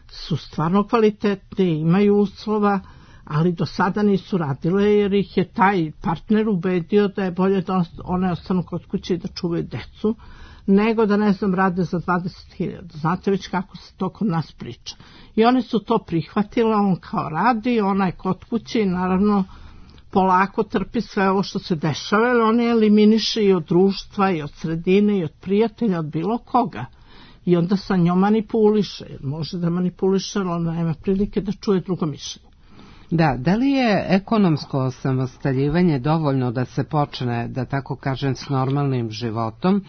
su stvarno kvalitetne, imaju uslova, ali do sada nisu radile jer ih je taj partner ubedio da je bolje da one ostanu kod kuće i da čuvaju decu, nego da, ne znam, rade za dvadeset hiljada. Znate već kako se to kod nas priča. I oni su to prihvatili, on kao radi, ona je kod kuće i naravno polako trpi sve ovo što se dešava, jer on je eliminiše i od društva, i od sredine, i od prijatelja, od bilo koga. I onda sa njom manipuliše, jer može da manipuliše, ali ona nema prilike da čuje drugo mišljenje. Da, da li je ekonomsko osamostaljivanje dovoljno da se počne, da tako kažem, s normalnim životom,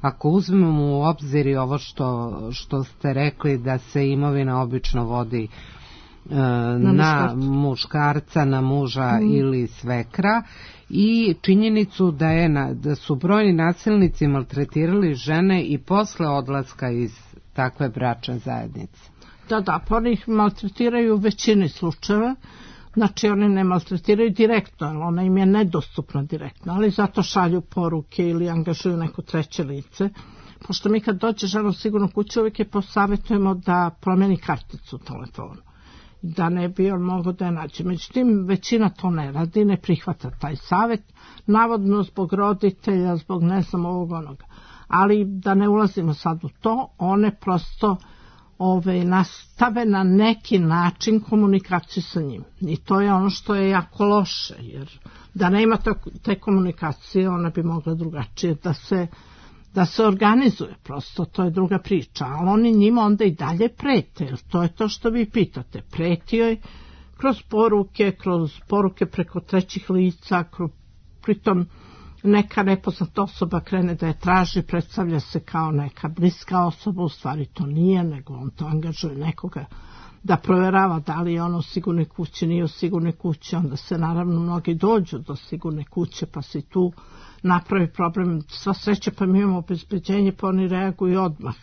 ako uzmemo u obzir i ovo što, što ste rekli da se imovina obično vodi e, na, na muškarca, na muža mm. ili svekra, i činjenicu da, je na, da su brojni nasilnici maltretirali žene i posle odlaska iz takve bračne zajednice? Da, da, pa oni ih maltretiraju u većini slučajeva. Znači, oni ne maltretiraju direktno, jer ona im je nedostupna direktno, ali zato šalju poruke ili angažuju neko treće lice. Pošto mi kad dođe žena u sigurnu kuću, uvijek je posavjetujemo da promeni karticu u telefonu, da ne bi on mogao da je nađe. Međutim, većina to ne radi, ne prihvata taj savjet, navodno zbog roditelja, zbog ne znam ovog onoga. Ali da ne ulazimo sad u to, one prosto Ove, nastave na neki način komunikaciju sa njim. I to je ono što je jako loše, jer da nema te komunikacije, ona bi mogla drugačije da se, da se organizuje, prosto, to je druga priča. Ali oni njima onda i dalje prete, jer to je to što vi pitate. Pretio je kroz poruke, kroz poruke preko trećih lica, kroz, pritom neka nepoznata osoba krene da je traži, predstavlja se kao neka bliska osoba, u stvari to nije, nego on to angažuje nekoga da provjerava da li je ono u sigurnoj kući, nije u sigurnoj kući, onda se naravno mnogi dođu do sigurne kuće, pa se tu napravi problem. Sva sreća, pa mi imamo obezbeđenje, pa oni reaguju odmah.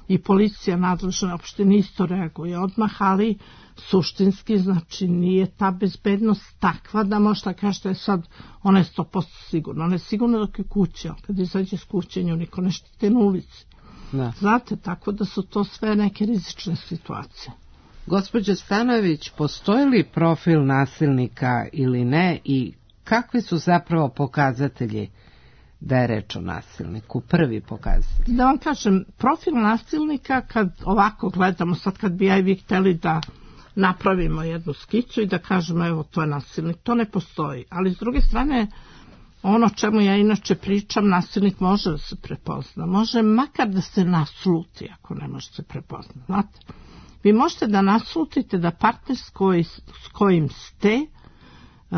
I policija nadležna opštine isto reaguje odmah, ali suštinski, znači, nije ta bezbednost takva da možda kažete je sad, ona je sto posto sigurna. Ona je sigurna dok je kuće, kad izađe s kuće, nju niko ne štite na ulici. Da. Znate, tako da su to sve neke rizične situacije. Gospođo Stanojević, postoji li profil nasilnika ili ne i kakvi su zapravo pokazatelji da je reč o nasilniku, prvi pokazatelj? Da vam kažem, profil nasilnika, kad ovako gledamo, sad kad bi ja i vi hteli da napravimo jednu skicu i da kažemo evo to je nasilnik, to ne postoji. Ali s druge strane, ono čemu ja inače pričam, nasilnik može da se prepozna. Može makar da se nasluti ako ne može se prepozna. Znate, vi možete da naslutite da partner s, koji, s kojim ste uh,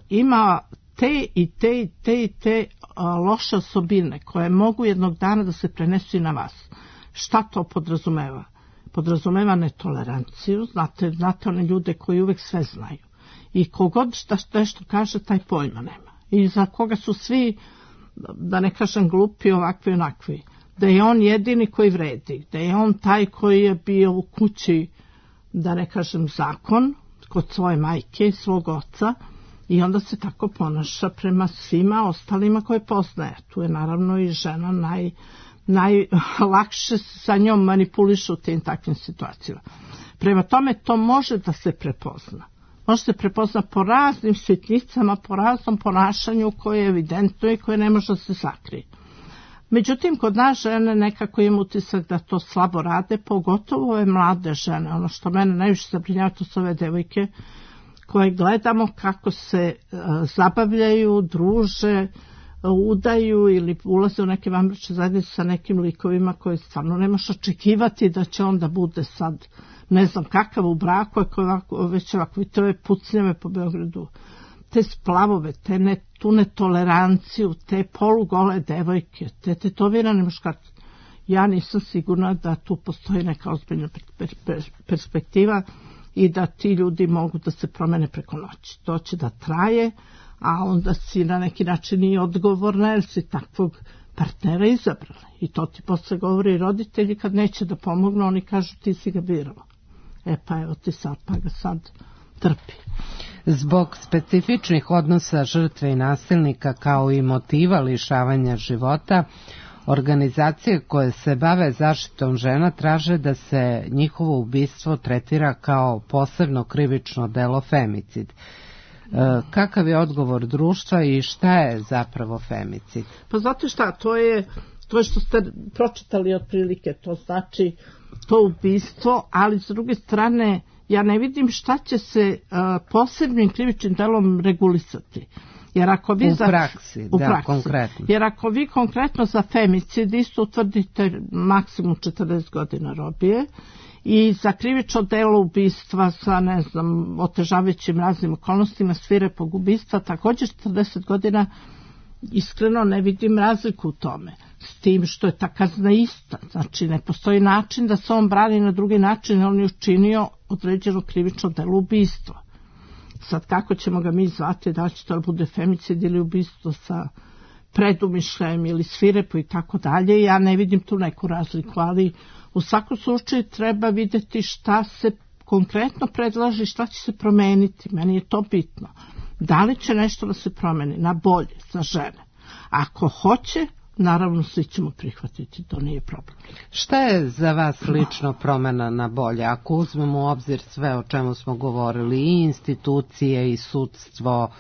ima te i te i te i te uh, loše osobine koje mogu jednog dana da se prenesu i na vas. Šta to podrazumeva? Podrazumeva netoleranciju, znate, znate one ljude koji uvek sve znaju. I kogod šta nešto kaže, taj pojma nema. I za koga su svi da ne kažem glupi, ovakvi onakvi, da je on jedini koji vredi, da je on taj koji je bio u kući, da ne kažem zakon, kod svoje majke i svog oca, i onda se tako ponaša prema svima ostalima koje poznaje. Tu je naravno i žena naj, najlakše sa njom manipulišu u tim takvim situacijama. Prema tome to može da se prepozna. Može se prepozna po raznim sitnicama, po raznom ponašanju koje je evidentno i koje ne može da se sakrije. Međutim, kod nas žene nekako im utisak da to slabo rade, pogotovo ove mlade žene. Ono što mene najviše zabrinjava, to su ove devojke koje gledamo kako se uh, zabavljaju, druže, uh, udaju ili ulaze u neke vanbračne zajednice sa nekim likovima koje stvarno nemaš očekivati da će onda bude sad ne znam kakav u braku, ako ovako, već ovako, to je pucnjave po Beogradu, te splavove, te ne, tu netoleranciju, te polugole devojke, te tetovirane muškarce. Ja nisam sigurna da tu postoji neka ozbiljna per, per, perspektiva i da ti ljudi mogu da se promene preko noći. To će da traje, a onda si na neki način i odgovorna jer si takvog partnera izabrala. I to ti posle govori i roditelji kad neće da pomognu, oni kažu ti si ga birala. E pa evo ti sad, pa ga sad trpi. Zbog specifičnih odnosa žrtve i nasilnika kao i motiva lišavanja života, organizacije koje se bave zaštitom žena traže da se njihovo ubistvo tretira kao posebno krivično delo femicid. E, kakav je odgovor društva i šta je zapravo femicid? Pa znate šta, to je, to je što ste pročitali otprilike, to znači to ubistvo, ali s druge strane ja ne vidim šta će se uh, posebnim krivičnim delom regulisati. Jer ako vi u za, praksi, u da, praksi, konkretno. Jer ako vi konkretno za femicid isto utvrdite maksimum četrdeset godina robije i za krivično delo ubistva sa, ne znam, otežavajućim raznim okolnostima svirepog ubistva također četrdeset godina, iskreno ne vidim razliku u tome. S tim što je ta kazna ista. Znači ne postoji način da se on brani na drugi način, on je učinio određeno krivično delo ubistva. Sad kako ćemo ga mi zvati, da li će to bude femicid ili ubistvo sa predumišljajem ili svirepo i tako dalje, ja ne vidim tu neku razliku, ali u svakom slučaju treba vidjeti šta se konkretno predlaže i šta će se promeniti. Meni je to bitno. Da li će nešto da se promeni na bolje za žene? Ako hoće, naravno svi ćemo prihvatiti, to nije problem. Šta je za vas lično promjena na bolje? Ako uzmemo u obzir sve o čemu smo govorili, i institucije, i sudstvo,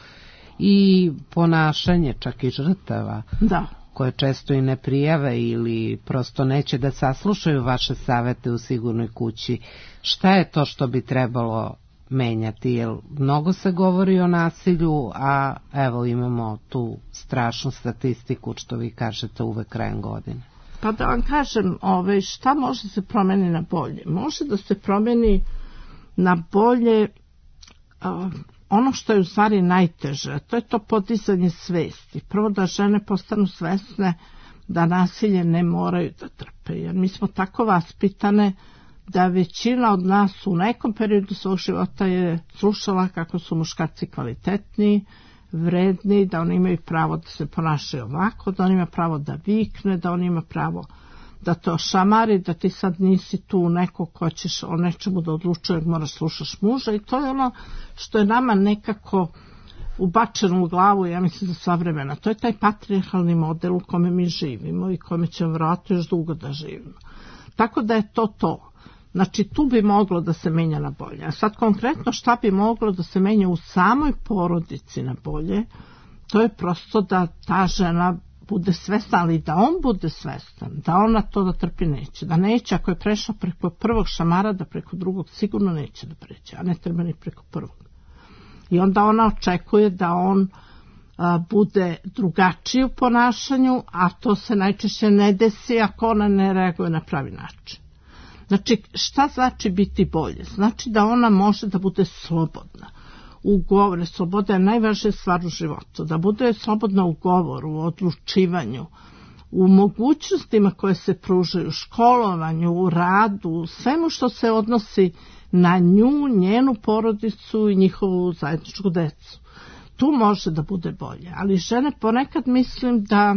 i ponašanje čak i žrtava, da, koje često i ne prijave ili prosto neće da saslušaju vaše savete u Sigurnoj kući, šta je to što bi trebalo menjati? Jer mnogo se govori o nasilju, a evo imamo tu strašnu statistiku, što vi kažete uvek krajem godine. Pa da vam kažem, ove, šta može se promeni na bolje? Može da se promeni na bolje uh, ono što je u stvari najteže, to je to podizanje svesti. Prvo da žene postanu svesne da nasilje ne moraju da trpe, jer mi smo tako vaspitane da većina od nas u nekom periodu svog života je slušala kako su muškarci kvalitetni, vredni, da oni imaju pravo da se ponašaju ovako, da oni imaju pravo da vikne, da oni imaju pravo da to šamari, da ti sad nisi tu neko ko ćeš o nečemu da odlučuje, moraš slušaš muža, i to je ono što je nama nekako ubačeno u glavu, ja mislim, za sva vremena. To je taj patrijarhalni model u kome mi živimo i kome ćemo vjerojatno još dugo da živimo. Tako da je to to. Znači tu bi moglo da se menja na bolje. A sad konkretno šta bi moglo da se menja u samoj porodici na bolje, to je prosto da ta žena bude svesna, ali da on bude svestan, da ona to da trpi neće. Da neće, ako je prešla preko prvog šamara, da preko drugog sigurno neće da pređe, a ne treba ni preko prvog. I onda ona očekuje da on a, bude drugačiji u ponašanju, a to se najčešće ne desi ako ona ne reaguje na pravi način. Znači, šta znači biti bolje? Znači da ona može da bude slobodna. U govoru, sloboda je najvažnija stvar u životu. Da bude slobodna u govoru, u odlučivanju, u mogućnostima koje se pružaju, u školovanju, u radu, u svemu što se odnosi na nju, njenu porodicu i njihovu zajedničku decu. tu može da bude bolje, ali žene ponekad mislim da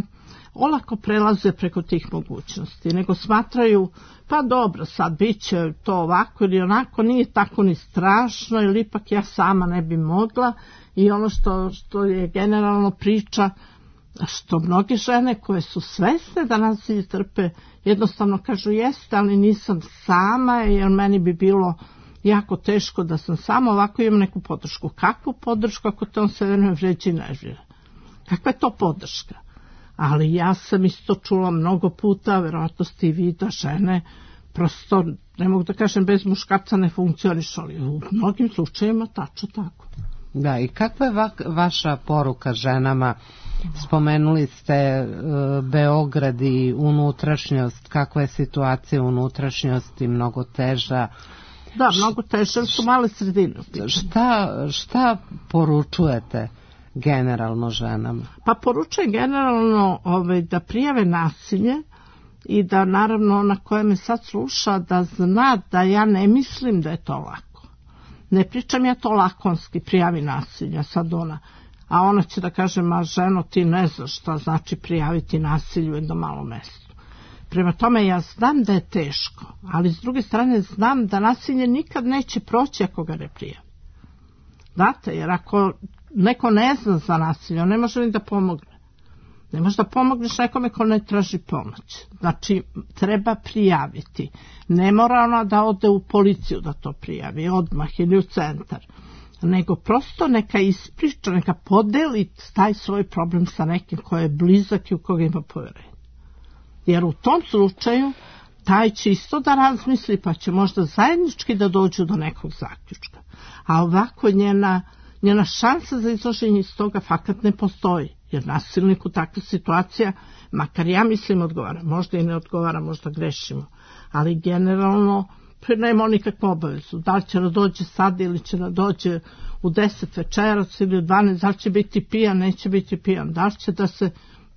olako prelaze preko tih mogućnosti, nego smatraju, pa dobro, sad bit će to ovako ili onako, nije tako ni strašno, ili ipak ja sama ne bi mogla. I ono što, što je generalno priča, što mnoge žene koje su svesne da nasilje trpe, jednostavno kažu jeste, ali nisam sama, jer meni bi bilo jako teško da sam sama, ovako imam neku podršku. Kakvu podršku ako te on sve vreme vređa i nervira? Kakva je to podrška? Ali ja sam isto čula mnogo puta, verovatno ste i vi, da žene prosto, ne mogu da kažem bez muškarca ne funkcionišu, ali u mnogim slučajima tačno tako. Da, i kakva je va, vaša poruka ženama? Spomenuli ste e, Beograd i unutrašnjost, kakva je situacija u unutrašnjosti, mnogo teža. Da, mnogo teže, su male sredine. Šta, šta poručujete generalno ženama? Pa poručujem generalno ovaj, da prijave nasilje i da naravno ona koja me sad sluša da zna da ja ne mislim da je to lako. Ne pričam ja to lakonski, prijavi nasilje, sad ona, a ona će da kaže, ma ženo ti ne znaš šta znači prijaviti nasilje u jednom malom mestu. Prema tome ja znam da je teško, ali s druge strane znam da nasilje nikad neće proći ako ga ne prijavi. Znate, jer ako neko ne zna za nasilje, on ne može ni da pomogne. Ne može da pomogneš nekome ko ne traži pomoć. Znači, treba prijaviti. Ne mora ona da ode u policiju da to prijavi, odmah ili u centar. Nego prosto neka ispriča, neka podeli taj svoj problem sa nekim ko je blizak i u koga ima poverenje. Jer u tom slučaju taj će isto da razmisli, pa će možda zajednički da dođu do nekog zaključka. A ovako njena, njena šansa za izlaženje iz toga fakat ne postoji. Jer nasilniku takva situacija, makar ja mislim odgovara, možda i ne odgovara, možda grešimo, ali generalno nema nikakvu obavezu. Da li će da dođe sad ili će da dođe u deset večerac ili u dvanaest, da li će biti pijan, neće biti pijan, da li će da se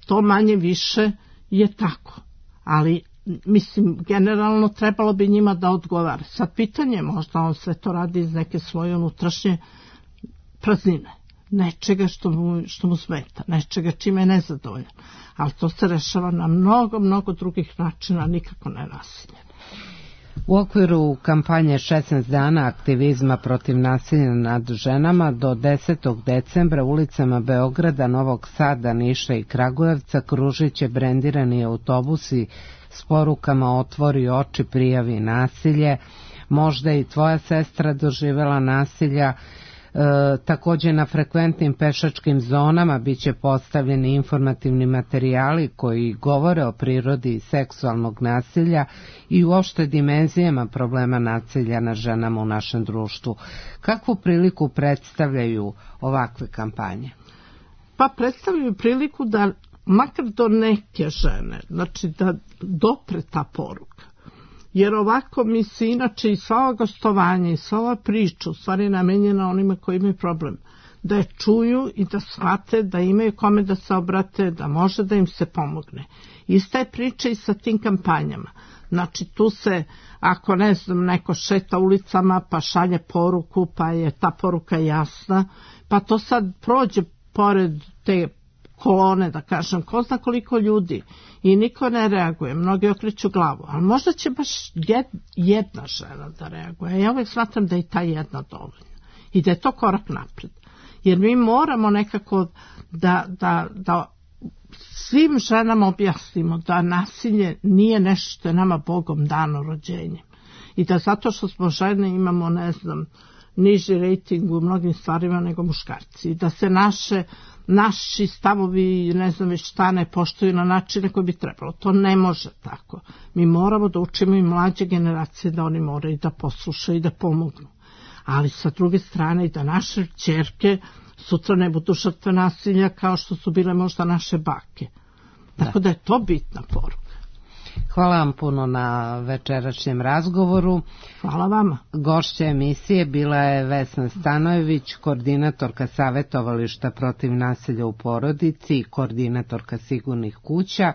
to manje više je tako. Ali mislim, generalno trebalo bi njima da odgovara. Sad pitanje, možda on sve to radi iz neke svoje unutrašnje praznine. Nečega što mu, što mu smeta, nečega čime je nezadovoljan. Ali to se rešava na mnogo, mnogo drugih načina, nikako ne nasilje. U okviru kampanje šesnaest dana aktivizma protiv nasilja nad ženama do desetog decembra ulicama Beograda, Novog Sada, Niša i Kragujevca kružit će brendirani autobusi s porukama otvori oči, prijavi nasilje. Možda i tvoja sestra doživela nasilja. E, također na frekventnim pešačkim zonama bit će postavljeni informativni materijali koji govore o prirodi seksualnog nasilja i uopšte dimenzijama problema nasilja na ženama u našem društvu. Kakvu priliku predstavljaju ovakve kampanje? Pa predstavljaju priliku da makar do neke žene, znači da dopre ta poruka. Jer ovako mi se inače i sva ova gostovanja i sva ova priča u stvari namenjena onima koji imaju problem. Da je čuju i da shvate da imaju kome da se obrate, da može da im se pomogne. Ista je priča i sa tim kampanjama. Znači tu se, ako ne znam, neko šeta ulicama pa šalje poruku, pa je ta poruka jasna, pa to sad prođe pored te kolone, da kažem, ko zna koliko ljudi i niko ne reaguje, mnogi okreću glavu, ali možda će baš jedna žena da reaguje. Ja uvijek smatram da je ta jedna dovoljna i da je to korak napred. Jer mi moramo nekako da, da, da svim ženama objasnimo da nasilje nije nešto što je nama Bogom dano rođenjem i da zato što smo žene imamo, ne znam, niži rating u mnogim stvarima nego muškarci i da se naše naši stavovi, ne znam već šta, ne poštuju na načine koji bi trebalo. To ne može tako. Mi moramo da učimo i mlađe generacije da oni moraju da poslušaju i da pomognu. Ali sa druge strane i da naše ćerke sutra ne budu žrtve nasilja kao što su bile možda naše bake. Tako da, da je to bitna poruka. Hvala vam puno na večerašnjem razgovoru. Hvala vama. Gošća emisije bila je Vesna Stanojević, koordinatorka savjetovališta protiv nasilja u porodici i koordinatorka sigurnih kuća.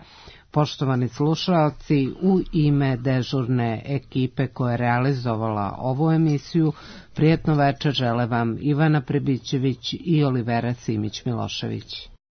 Poštovani slušaoci, u ime dežurne ekipe koja je realizovala ovu emisiju, prijetno večer žele vam Ivana Prebićević i Olivera Simić-Milošević.